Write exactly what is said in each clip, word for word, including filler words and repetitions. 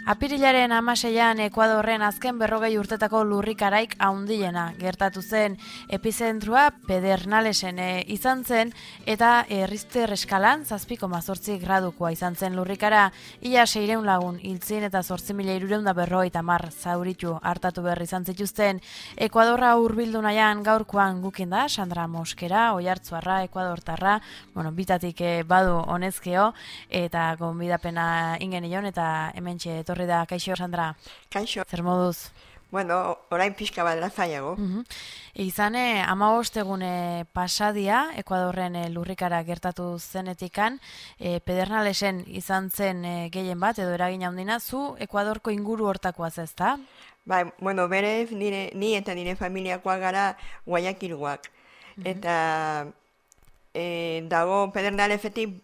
Apirilaren hamaseian Ekuadorren azken berrogei urtetako lurrikaraik haundiena gertatu zen. Epizentrua Pedernalesen e, izan zen eta e, Richter eskalan zazpi koma zortzi gradukoa izan zen lurrikara. Ia seiehun lagun hiltzin eta zortzi mila hirurehun eta berrogeita hamar zauritu hartatu berri izan zituzten. Ekuadorra hurbildu nahian gaurkoan gukin da Sandra Moskera, Oiartzuarra, Ekuadortarra, bueno, bitatik e, badu honezkeo eta gonbidapena ingenion eta hementxe etorri da. Kaixo, Sandra. Kaixo. Zer moduz? Bueno, orain pixka bat lazaiago. Uh -huh. Izane, hamabost egune pasadia, Ekuadorren e, lurrikara gertatu zenetikan, e, Pedernalesen izan zen e, gehien bat, edo eragin handina, zu Ekuadorko inguru hortakoaz ez da? Bai, bueno, berez, nire, ni eta nire familiakoak gara Guayaquilgoak. Uh -huh. Eta e, dago Pedernalesetik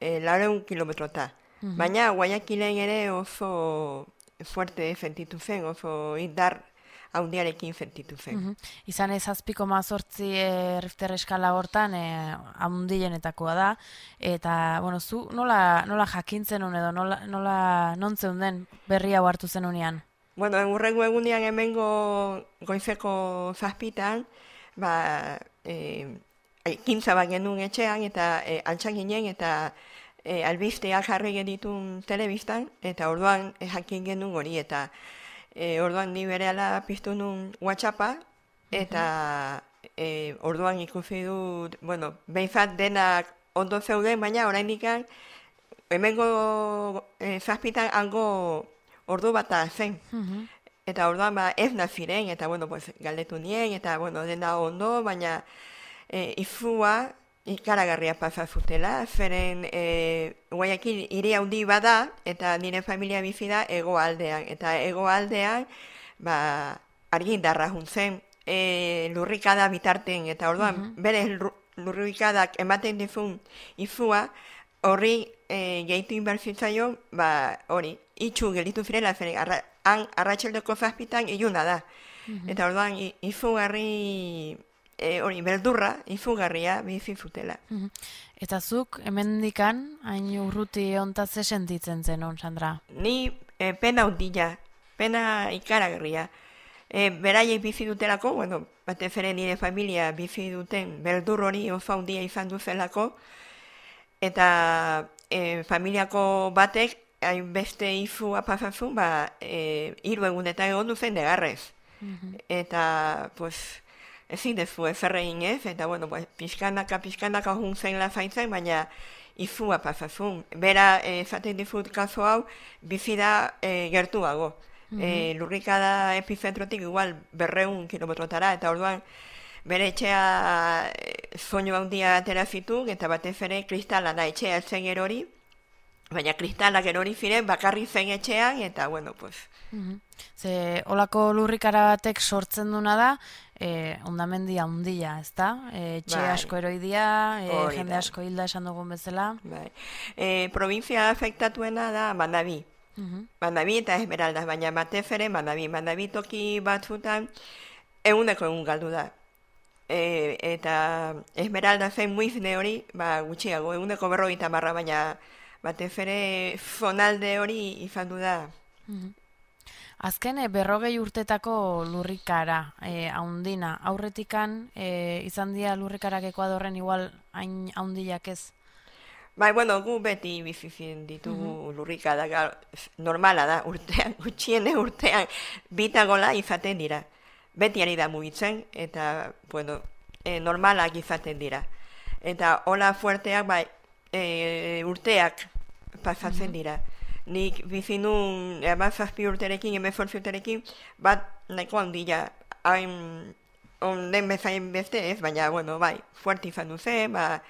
e, laureun kilometrota. Uh-huh. Baina Guayaquilen ere oso fuerte sentitu zen, oso indar handiarekin sentitu zen. Uh-huh. Izan ez zazpi koma zortzi e, Richter eskala hortan e, handienetakoa da, eta bueno, zu nola, nola jakintzen un edo nola, nola nontzen den berri hau hartu zen unean? Bueno, urrengo egunean hemengo goizeko zazpitan, ba, e, ekintza bat genuen etxean, eta e, altxan ginen, eta E, albisteak jarri genitun telebistan, eta orduan e, jakin genuen hori, eta e, orduan ni berehala piztu nun WhatsAppa, eta e, orduan ikusi dut, bueno, behintzat denak ondo zeuden, baina oraindik hemengo e, zazpitan hango ordu bata zen. Uh-huh. Eta orduan ba, ez naziren, eta bueno, pues, galdetu nien, eta bueno, dena ondo, baina e, izua, ikaragarria pasa zutela, zeren e, Guayaquil hiri handi bada, eta nire familia bizi da hegoaldean, eta hegoaldean ba, argindarra juntzen e, lurrikada bitarten, eta orduan, uh-huh. bere lurrikadak ematen dizun izua, horri e, gehitu inbertzitzaion, ba, hori, itxu gelitu zirela, zeren arra, han arratxeldeko zazpitan iluna da. Uh-huh. Eta orduan, izugarri E, hori, beldurra, izugarria, bizi zutela. Uh-huh. Eta zuk, hemendikan, hain urruti ontaz ze sentitzen zen, on, Sandra? Ni e, pena hundila, pena ikaragarria. E, beraiek bizi dutelako, bueno, batez ere nire familia bizi duten beldur hori oso handia izan duzelako, eta e, familiako batek, hainbeste izua pasazun, ba, e, hiru egunetan egon duzen negarrez. Uh-huh. Eta, pues, ezin dezu ezerrein ez, eta bueno, pues, pixkanaka, pixkanaka juntzen lazaitzen, baina izua pasazun. Bera, esaten eh, dizut kaso hau, bizi da eh, gertuago. Mm-hmm. eh, lurrikada epizentrotik igual berreun kilometrotara, eta orduan bere etxea eh, soinu handia atera zitu, eta batez ere kristala da etxea zen erori, baina kristalak erori ziren bakarri zen etxean, eta bueno, pues... Mm-hmm. Ze, olako lurrikara batek sortzen duna da, E, ondamendi handia, ez da? E, txe bai. Asko eroidia, e, jende da. Asko hilda esan dugun bezala. Bai. E, provintzia afektatuena da Manabí. Uh-huh. Manabí eta Esmeralda, baina batez ere Manabí. Manabí toki batzutan eguneko egun galdu da. E, eta Esmeralda zen muizne hori, ba, gutxiago, eguneko berrogeita marra, baina batez ere zonalde hori izan du da. Uh-huh. Azken berrogei urtetako lurrikara, e, haundina, aurretikan e, izan dira lurrikarak Ekuadorren igual hain haundiak ez? Bai, bueno, gu beti bizizien ditugu uh-huh. lurrikadak, normala da, urtean, gutxiene urtean, bitagola izaten dira. Beti ari da mugitzen, eta, bueno, e, normalak izaten dira. Eta hola fuerteak, bai, e, urteak pasatzen uh-huh. dira. Nik bizi nun, amazazpi urterekin, emezortzi urterekin, bat nahiko handila, hain onden bezain beste ez, baina, bueno, bai, fuerte izan duzen, ba,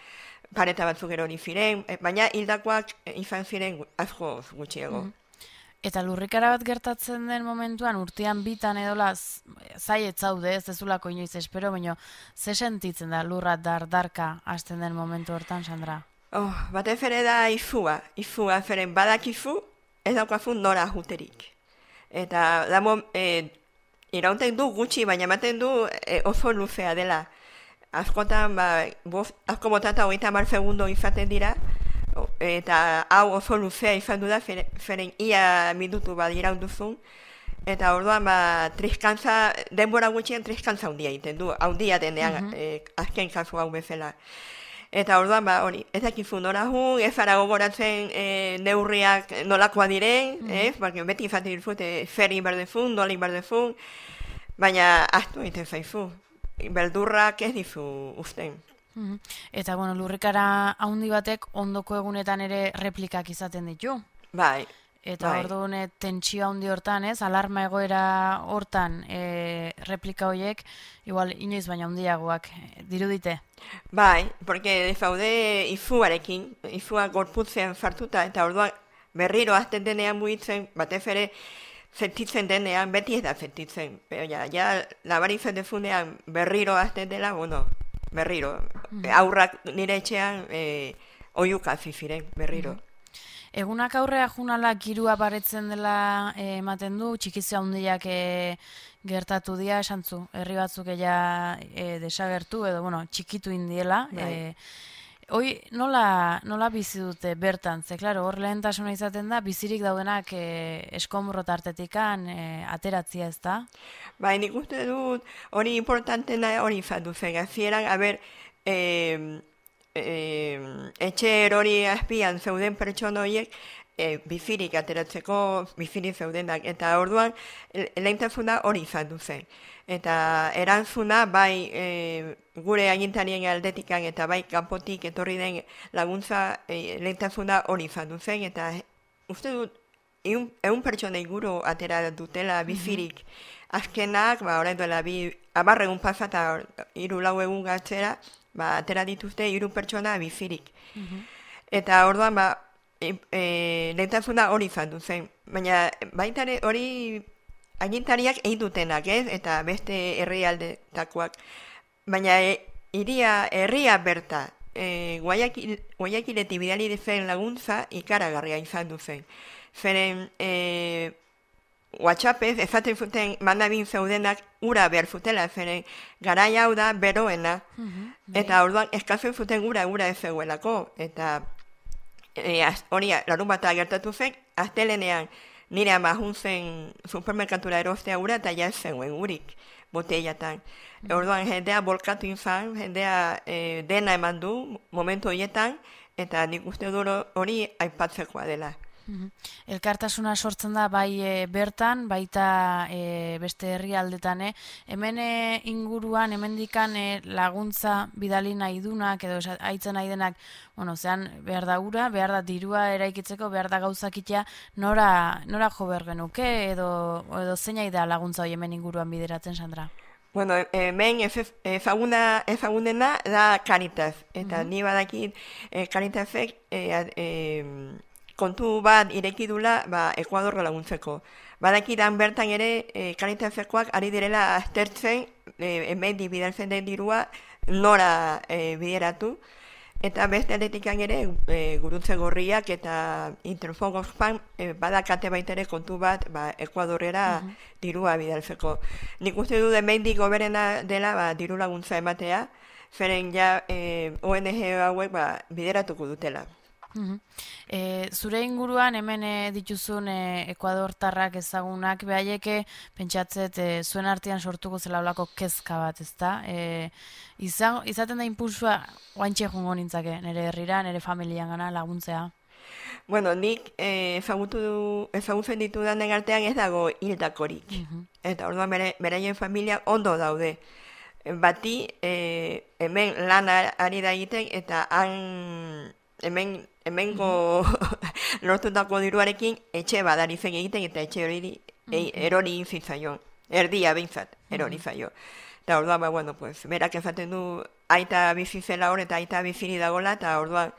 pareta batzuk erori ziren, baina hildakoak izan ziren asko gutxiago. Mm. Eta lurrikara bat gertatzen den momentuan, urtean bitan edola, zai etzaude, ez dezulako inoiz espero, baina ze sentitzen da lurra dardarka hasten den momentu hortan, Sandra? Oh, batez ere da izua, izua zeren badakizu, ez daukazu nora juterik. Eta damo, e, iraunten du gutxi, baina ematen du e, oso luzea dela. Askotan, ba, boz, asko botata hogeita hamar segundo izaten dira, eta hau oso luzea izan du da, feren ia minutu bat iraunduzun, eta orduan ba, triskantza, denbora gutxien triskantza handia egiten du, handia denean, uh -huh. eh, azken kasu hau bezala. Eta orduan, ba, hori, ez dakizu nora jun, ez ara gogoratzen e, neurriak nolakoa diren, mm. ez, barke, beti izaten dizut, e, zer inberdezun, nola inberdezun, baina ahtu egiten zaizu, beldurrak ez dizu usten. Mm. Eta, bueno, lurrikara haundi batek ondoko egunetan ere replikak izaten ditu. Bai. Eta bai. orduan tentsio handi hortan, ez, alarma egoera hortan e, replika horiek, igual inoiz baina handiagoak dirudite. Bai, porque zaude izuarekin, izua gorputzean sartuta, eta orduan berriro azten denean mugitzen, batez ere sentitzen denean, beti ez da sentitzen. Pero ja, ja labaritzen dezunean berriro azten dela, bueno, berriro. Mm. Aurrak nire etxean e, oiuka ziren, berriro. Mm. Egunak aurrea junala girua baretzen dela eh, ematen du, txikizia handiak eh, gertatu dira, esantzu, herri batzuk ella eh, desagertu, edo, bueno, txikitu indiela. Eh, hoi, nola, nola bizi dute bertan? Ze, klaro, hor lehentasuna izaten da, bizirik daudenak eh, eskomurro tartetikan eh, ateratzia ez da? Bai, nik uste dut, hori importantena hori izan duzen, azieran, a ber, eh, E, etxe erori azpian zeuden pertsona horiek e, bizirik ateratzeko bizirik zeudenak, eta orduan lehentasuna hori izan duzen. Eta erantzuna bai e, gure agintarien aldetikan eta bai kanpotik etorri den laguntza e, lehentasuna hori izan duzen, eta uste dut eun, eun pertsona inguru atera dutela bizirik. Mm-hmm. Azkenak, ba, orain duela bi amarregun pasata hiru lau egun gatzera, ba, atera dituzte hiru pertsona bizirik. Mm-hmm. Eta orduan, ba, e, e, lehentasuna hori izan duzen. Baina baita hori agintariak egin dutenak, ez? Eta beste herrialdetakoak. Baina e, iria, herria berta, e, Guayakiletik bidali dezen laguntza ikaragarria izan duzen. Zeren, e, WhatsAppez ezaten zuten mandabin zeudenak ura behar zutela, zeren garai hau da beroena, mm-hmm, eta orduan eskazen zuten ura ura ez zegoelako, eta hori e, larun bat gertatu zen, astelenean nire ama juntzen supermerkatura erostea ura eta ja ez zegoen urik botellatan. Mm-hmm. Orduan jendea bolkatu izan, jendea e, dena eman du momentu horietan, eta nik uste duro hori aipatzekoa dela. Mm-hmm. Elkartasuna sortzen da bai e, bertan, baita e, beste herrialdetan, eh? Hemen e, inguruan, hemendikan e, laguntza bidali nahi dunak, edo haitzen nahi denak, bueno, zean behar da ura, behar da dirua eraikitzeko, behar da gauzakitea, nora, nora jo behar genuke, edo, edo zein da laguntza hori hemen inguruan bideratzen, Sandra? Bueno, hemen ezaguna, ezagunena da Caritas, eta mm-hmm. ni badakit e, Caritasek e, e, kontu bat irekidula ba, Ekuadorra laguntzeko. Badakidan bertan ere e, Caritasekoak ari direla aztertzen e, hemen bidaltzen den dirua nora e, bideratu, eta beste aldetikan ere e, Guruntze Gorriak eta Interfon Oxfam e, badakate baitere kontu bat ba, Ekuadorrera uh-huh. dirua bidaltzeko. Nik uste du hemendik goberena dela ba, diru laguntza ematea, zeren ja e, O N G hauek ba, bideratuko dutela. Uh-huh. E, zure inguruan hemen e, dituzun e, Ekuadortarrak ezagunak behaieke pentsatzet e, zuen artean sortuko zela olako kezka bat, ezta? E, izan, izaten da impulsua oantxe jongo nintzake, nire herrira, nire familian gana laguntzea. Bueno, nik e, ezagutu, ezagutzen ditudanen artean ez dago hildakorik. Uh-huh. Eta orduan bere, beraien familia ondo daude. Bati e, hemen lan ari da egiten eta han hemen hemengo mm-hmm. lortutako diruarekin etxe badari zen egiten eta etxe hori mm-hmm. erori zitzaion. Erdia behintzat, erori zaio. Eta orduan, ba, bueno, pues, berak ezaten du aita bizi zela hor eta aita biziri dagola, eta orduan,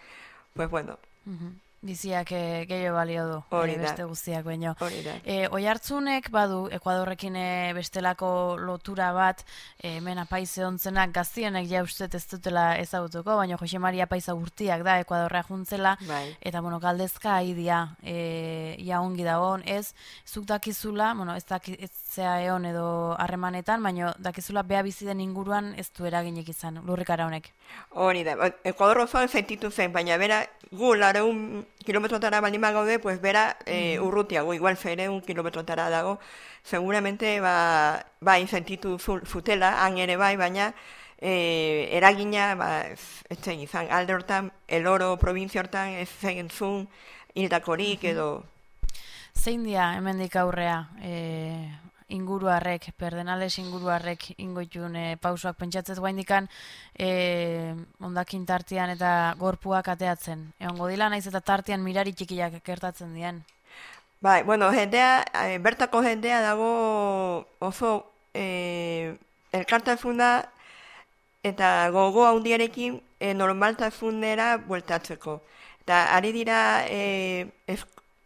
pues, bueno. Mm-hmm. Biziak e, gehiago balio du, Hori e, da. beste guztiak baino. Hori da. E, Oihartzunek badu Ekuadorrekin e, bestelako lotura bat, e, hemen apaiz edontzenak gaztienek ja ustet ez dutela ezagutuko, baina Jose Maria Apaiza urtiak da Ekuadorra juntzela, Bai. eta bueno, galdezka aidia, e, ia ongi dagoen, ez, zuk dakizula, bueno, ez dakitzea egon edo harremanetan, baina dakizula beha bizi den inguruan ez du eraginek izan, lurrikara honek. Hori da, Ekuador osoan sentitu zen, baina bera, gu lareun kilometrotara baldin gaude, pues bera eh, urrutiago, igual fereun kilometrotara dago, seguramente ba, bai sentitu zutela, han ere bai, baina eh, eragina, ba, ez zen izan, alde hortan, El Oro, provintzia hortan, ez zen zun, hildakorik edo... Zein dia hemendik aurrea, e, inguruarrek, perdenales inguruarrek ingoitun e, pausoak pentsatzez guaindikan e, ondakin tartian eta gorpuak ateatzen. Egongo dila naiz eta tartian mirari txikiak gertatzen dien. Bai, bueno, jendea, e, bertako jendea dago oso e, elkartasuna eta gogo handiarekin e, normaltasunera bueltatzeko. Eta ari dira e, ez,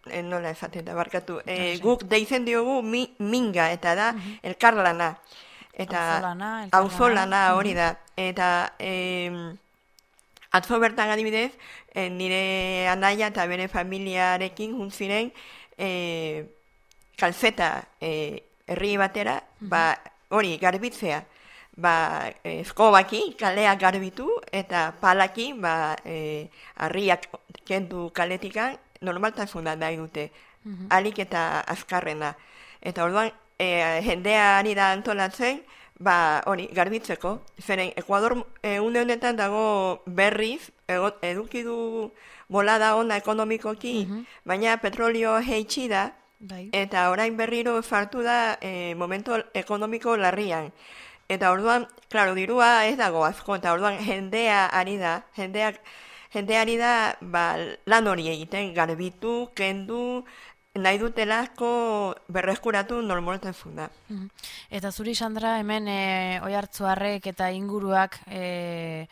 E, nola esaten da, barkatu. E, guk deitzen diogu mi, minga, eta da, uh-huh. elkarlana. Eta auzolana hori da. Eta e, atzo bertan adibidez, e, nire anaia eta bere familiarekin juntziren e, kalzeta e, herri batera, uh-huh. ba, hori, garbitzea. Ba, eskobaki, kalea garbitu, eta palaki, ba, e, harriak kendu kaletikan, normaltasuna nahi dute, uh-huh. alik eta azkarrena. Eta orduan, e, jendea ari da antolatzen, ba, hori, garbitzeko. Zeren, Ekuador e, une honetan dago berriz, ego, eduki du bolada ona ekonomikoki, uh-huh. baina petrolio heitsi da, bai. Eta orain berriro sartu da e, momento ekonomiko larrian. Eta orduan, klaro, dirua ez dago asko, eta orduan jendea ari da, jendeak, jendea ari da ba, lan hori egiten, garbitu, kendu, nahi dutelako berreskuratu normaltasuna. Eta zuri, Sandra, hemen e, Oihartzuarrek eta inguruak e,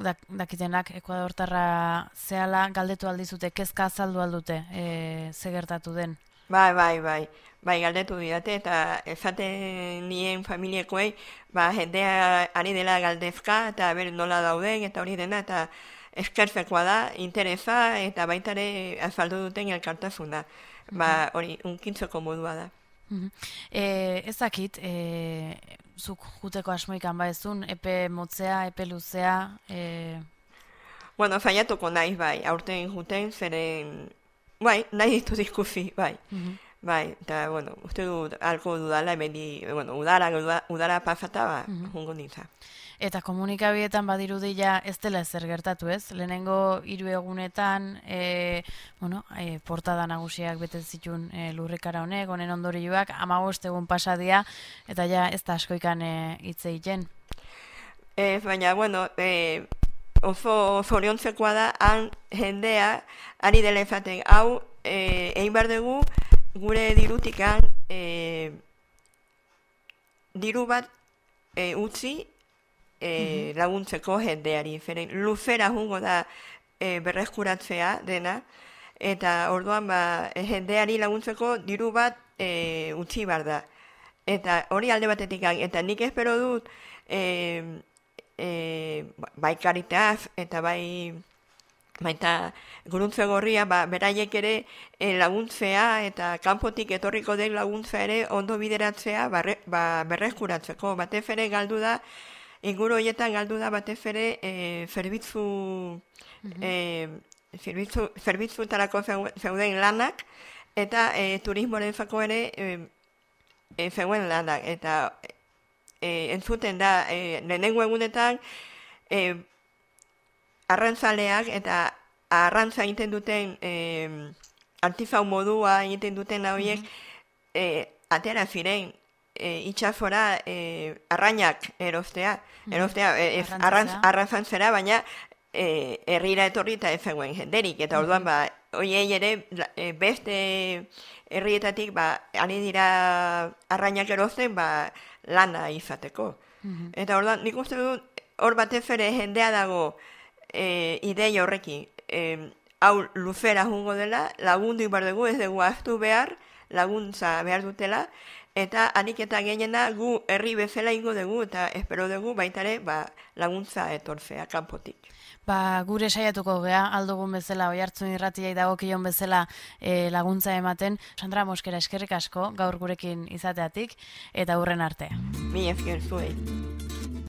dak, dakitenak Ekuadortarra zehala galdetu aldizute, kezka azaldu aldute, e, ze gertatu den? Bai, bai, bai. Bai, galdetu didate, eta esaten nien familiekoei, ba, jendea ari dela galdezka, eta ber nola dauden, eta hori dena, eta eskertzekoa da, interesa, eta baitare azaldu duten elkartasuna. Ba, hori, unkintzeko modua da. E, ez dakit, e, zuk juteko asmoikan ba ezun, epe motzea, epe luzea... E... Bueno, zaiatuko naiz, bai, aurten juten, zeren... Bai, nahi ditu diskusi, bai. Uh-huh. Bai, eta, bueno, uste du alko dudala, emendi, bueno, udara, udara pasata, ba, uh-huh. jungo nintza. Eta komunikabietan badirudila ez dela ezer gertatu ez? Lehenengo hiru egunetan, e, bueno, e, portada nagusiak bete zituen e, lurrikara honek, honen ondorioak, hamabost egun pasadia, eta ja ez da askoikan hitz e, egiten. Ez, baina, bueno, e, oso zoriontzekoa da, han jendea, ari dela ezaten, hau, e, egin behar dugu, gure dirutikan e, diru bat e, utzi e, uh-huh. laguntzeko jendeari. Zeren, luzera jungo da e, berreskuratzea dena, eta orduan ba, jendeari laguntzeko diru bat e, utzi behar da. Eta hori alde batetik, eta nik espero dut e, e, bai Karitaz eta bai... Baita guruntze gorria, ba, beraiek ere e, laguntzea eta kanpotik etorriko den laguntza ere ondo bideratzea barre, ba, berreskuratzeko. Batez ere galdu da, inguru horietan galdu da batez ere e, zerbitzu, uh-huh. e, zerbitzu, zerbitzutarako zeuden lanak eta e, turismorentzako ere e, e, zeuen lanak. Eta e, entzuten da, e, lehenengo egunetan, e, arrantzaleak eta arrantza egiten duten eh, artifau modua egiten duten horiek mm-hmm. eh, atera ziren eh, itxasora eh, arrainak erostea, mm-hmm. erostea eh, arrantz, arrantzantzera, baina eh, herrira etorri eta ez zegoen jenderik, eta orduan ba, hoiei ere eh, beste herrietatik ba, ari dira arrainak erosten ba, lana izateko. Mm-hmm. Eta orduan nik uste dut hor batez ere jendea dago E, idei horrekin, e, hau luzera jungo dela, lagundu behar dugu, ez dugu ahaztu behar, laguntza behar dutela, eta hanik eta gehiena gu herri bezala ingo dugu, eta espero dugu baitare ba, laguntza etortzea kanpotik. Ba, gure saiatuko gea, aldugun bezala, Oiartzun irratiai dagokion bezala e, laguntza ematen. Sandra Moskera, eskerrik asko, gaur gurekin izateatik, eta hurren arte. Mi esker zuei.